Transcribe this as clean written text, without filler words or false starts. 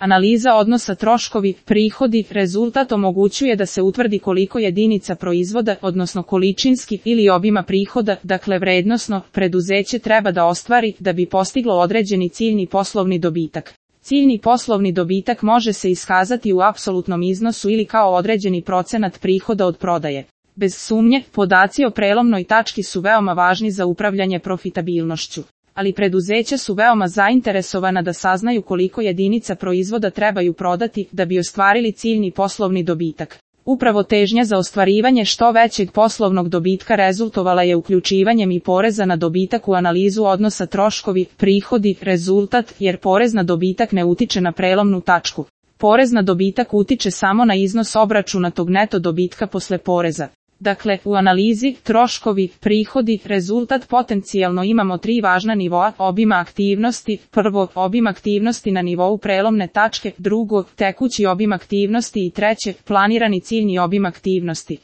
Analiza odnosa troškovi, prihodi, rezultat omogućuje da se utvrdi koliko jedinica proizvoda, odnosno količinski ili obima prihoda, dakle vrednosno, preduzeće treba da ostvari da bi postiglo određeni ciljni poslovni dobitak. Ciljni poslovni dobitak može se iskazati u apsolutnom iznosu ili kao određeni procenat prihoda od prodaje. Bez sumnje, podaci o prelomnoj tački su veoma važni za upravljanje profitabilnošću. Ali preduzeća su veoma zainteresovana da saznaju koliko jedinica proizvoda trebaju prodati da bi ostvarili ciljni poslovni dobitak. Upravo težnja za ostvarivanje što većeg poslovnog dobitka rezultovala je uključivanjem i poreza na dobitak u analizu odnosa troškovi, prihodi, rezultat, jer porez na dobitak ne utiče na prelomnu tačku. Porez na dobitak utiče samo na iznos obračunatog neto dobitka posle poreza. Dakle, u analizi, troškovi, prihodi, rezultat potencijalno imamo 3 važna nivoa obima aktivnosti. Prvo, obim aktivnosti na nivou prelomne tačke, drugo, tekući obim aktivnosti i treće, planirani ciljni obim aktivnosti.